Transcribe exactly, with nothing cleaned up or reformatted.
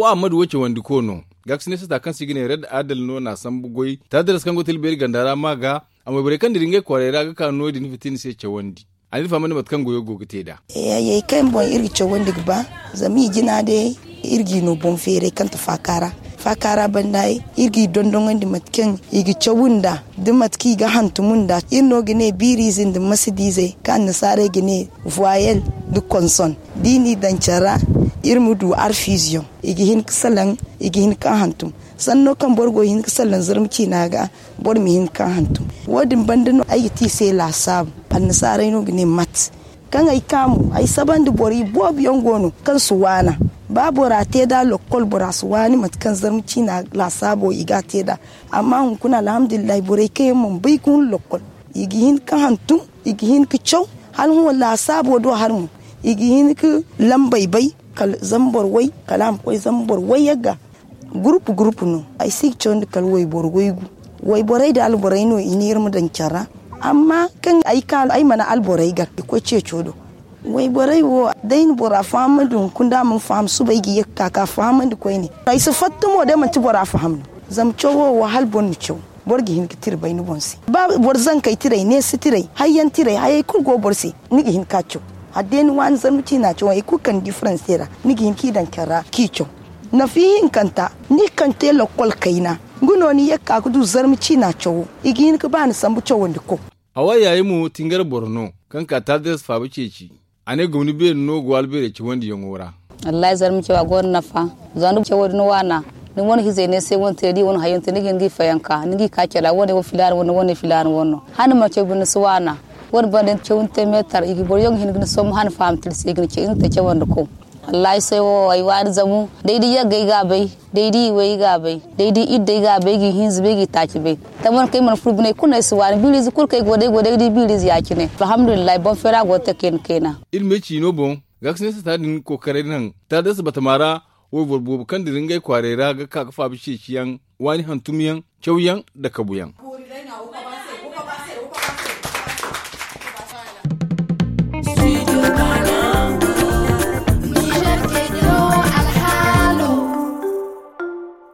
Wo ammadu wo cawandi ko no. Gaaksine sata kaŋ se i ga ne red adal no n'a sambu goy taadaras kaŋ go tilbeeri ganda ra ma ga. Amma borey kaŋ dira ngey kwaarey ra ga ka no- din fitina se cawandi. A n'iri fahamandi mate kaŋ goyo go ga te nd'a. Hayey kaŋ boŋ iri ga cawandi ga ba, zama i jina day iri g'i no boŋ feeray kaŋ ti faaka ra. Faaka ra banda iri g'i dondoŋandi mate kaŋ i ga caw nd'a, da mate kaŋ i ga hantum nd'a. Iri no ga ne biiriize nda masadiizey kaŋ annasaarey ga ne voyelle nda konson. Da i n'i daŋ care ra, iri ma du arfiiziyoŋ. I ga hin ga salaŋ, i ga hin ga hantum. Sanno kaŋ boro go ga hin ga salaŋ zarma ciina ga, boro ma hin ga hantum. Wo- din banda no ay ga te i se laasaabu. Annasaarey no ga ne mat. Kaŋ ay ka mo ay sabandi borey boobo yaŋ go no kaŋ si waana. Ba bora te nd'a lokkol bora si waani mate kaŋ zarma ciina laasaabo i ga a te nd'a. Amma hunkuna alhamdulillahi borey kaŋ yaŋ mana bay ga hun lokkol, i ga hin ga hantum, i ga hin ga caw. Hala hõ laasaabo do hari mo, i ga hin ga lambey bay, kala zambar way, kala a ma koy zambar way yagga. Gurupu gurupu no. Ay si ga cawandi kala wayboro waygu. Wayborey nda alborey no i ne iri ma daŋ care ra. Amma kaŋ ay ka ay mana alborey gar i koy ceeco do. Wayborey wo, day na bora fahamandi hunkuna da a mana faham suba ay ga ye ga ka ga fahamandi koyne. Ay si fatta mo day manti bora faham no. Zama cawo wo hala boro na caw, boro ga hin ga tira bay ni boŋ se. Ba boro zankey tirey neesi tirey hayyaŋ tirey hayey kulu go boro se, ni ga hin ga caw. Hala day ni waani zarma ciina caw hari kulu kaŋ ni di faranse ra, ni ga hin k'i daŋ care ra k'i caw. Nafa ihinkanta, ni kaŋ te lokkol kayna, nga no ni ye ga ka ga du zarma ciina cawo. I ga hin ga ba ni sambu cawandi ko. Hawa yaayi mo tingar boro no, kaŋ ka taadaras faaba ceeci. A ne gomni beeri no go albeerey cawandiyaŋo ra. Wallahi zarma cawa gonda nafa. Zama da cawo din waana, ni wane hizey ne se wane te da i wane hayaŋ te ni ga hin ga i fayanka ni ga i ka care ra wane wo filaana wane wane filaana wane no. Hala ni mana caw binde ni si waana. Wane banda ni caw ni te meetar i ga boro yaŋ ga hin ga ni sombu hala ni faham tira se i ga ni ce i na te cawandi ko. Wallahi sohõ wo ay waani zamu. Day da yagga ay ga a bay, day da i way ay ga a bay, day da idda ay ga a bay ay ga i hinza bay ay ga i taaci bay. Taman kaŋ ay mana furo bine ay kulu no ay si waani biiriize kulu kaŋ ay go day go day ga di biiriize ya- cine. Alhamdulillahi boŋ feera go ga te kayna kayna. Iri me ciino boŋ, gaakasinay sata din kookaray naŋ taadasa batama ra. Wayboro boobo kaŋ dira ngey kwaarey ra ga ka ga faaba ceeciyaŋ, waani hantumyaŋ, cawyaŋ, nda kabuyaŋ.